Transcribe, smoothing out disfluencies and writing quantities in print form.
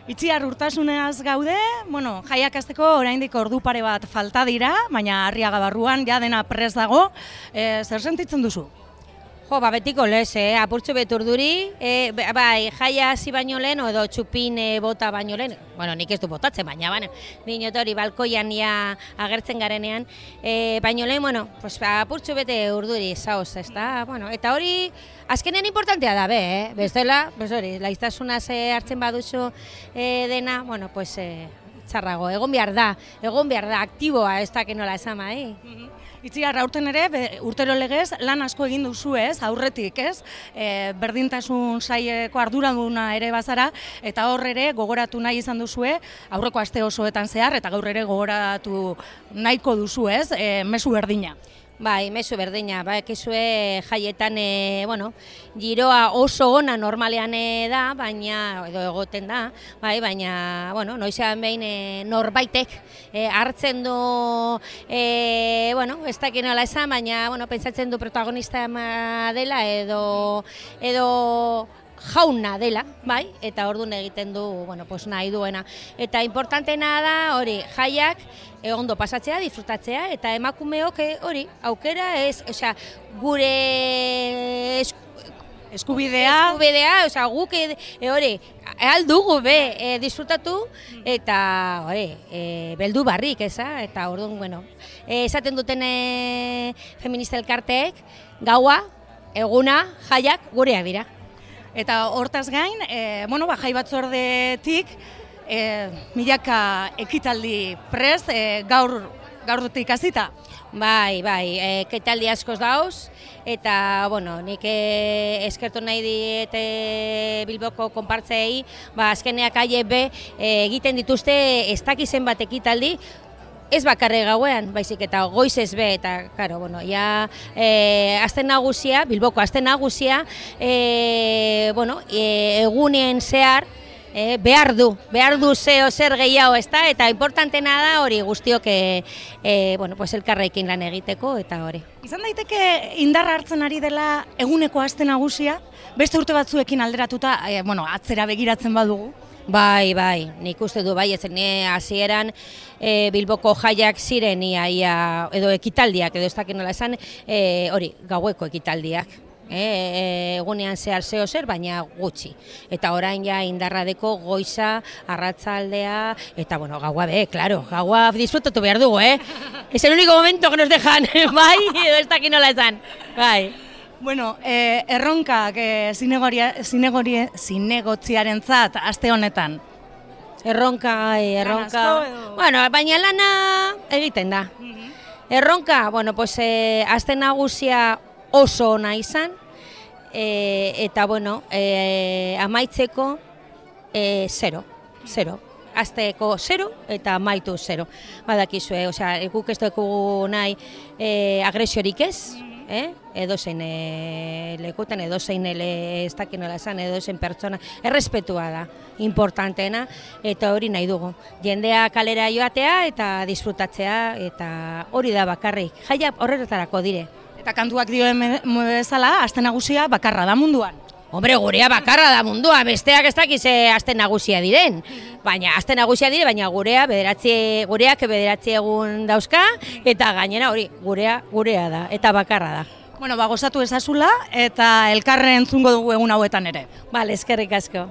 Itziar urtasunez gaude, bueno, jaiak hasteko oraindik ordu pare bat falta dira, baina Arriaga barruan ja dena prest dago. Zer sentitzen duzu? Jo, betiko lez, apurtxo beturduri, bai, jaia hasi baino lehen, edo txupin bota baino lehen, bueno, nik ez du botatzen, baina, dinot hori balkoian ja agertzen garenean, baino lehen, bueno, pues, apurtxo bete urduri, zaoz, ezta, bueno, eta hori, azkenean importantea da, bestela, pues hori, laiztasuna hartzen baduzu dena, bueno, pues, txarrago, egon behar da, aktiboa, ez da, nola esama, Itziar, aurten ere, urtero legez, lan asko egin duzu ez, aurretik ez, berdintasun saileko arduraduna ere bazara, eta hor ere gogoratu nahi izan duzue, aurreko aste osoetan zehar, eta gaur ere gogoratu nahiko duzu ez, mezu berdina. Bai, mezu berdina, ekizue jaietan, giroa oso ona normalean da, baina, edo egoten da, baina, noizean behin norbaitek hartzen du, ez dakit nola esan, baina, pentsatzen du protagonista dela, edo jauna dela, eta orduan egiten du, nahi duena. Eta importantena da, hori, jaiak ondo pasatzea, disfrutatzea, eta emakumeok hori, aukera ez, gure eskubidea, guk hori, aldugu disfrutatu, eta hori, beldu barrik, eta orduan, esaten duten feminista elkarteek, gaua, eguna, jaiak gureak dira. Eta hortaz gain, jai batzordetik, milaka ekitaldi prest, gaurtik hasita. Bai, ekitaldi askoz dauz, eta, nik eskertu nahi diete Bilboko konpartzei, azkeneak aiebe egiten dituzte ez dakizen bat ekitaldi, ez bakarre gauean, baizik eta goizez be, eta, aste nagusia, Bilboko aste nagusia, egunien zehar, behar du zer gehiago, eta importantena da hori guztiok elkarrekin lan egiteko, eta hori. Izan daiteke indarra hartzen ari dela eguneko aste nagusia, beste urte batzuekin alderatuta, atzera begiratzen badugu? Bai, nik uste du ezen hasieran Bilboko jaiak ziren edo ekitaldiak, edo ez dakit nola esan, hori, gaueko ekitaldiak. Egunean zehar zeo zer, baina gutxi. Eta orain ja indarradeko goiza, arratzaldea, eta gaua gaua disfrutatu behar dugu, Es el único momento que nos dejan, edo ez dakit nola esan, bai. Erronkak zinegotziarentzat aste honetan? Erronka. Baina lana egiten da. Erronka, aste nagusia oso ona izan, eta amaitzeko 0. Azteko 0 eta amaitu 0. Badakizue, guk ez dugu nahi agresiorik ez, edozein lekutan, edozein ez dakit nola esan, edozein pertsona, errespetua da, importanteena, eta hori nahi dugu. Jendea kalera joatea eta disfrutatzea, eta hori da bakarrik. Jaia horretarako dire. Eta kantuak dioen bezala, aste nagusia bakarra da munduan. Hombre, gurea bakarra da mundua, besteak ez dakiz aste nagusia diren. Baina, aste nagusia dire, baina gureak 9 egun dauzka, eta gainera hori, gurea da, eta bakarra da. Gozatu ezazula, eta elkarren entzungo dugu egun hauetan ere. Bale, eskerrik asko.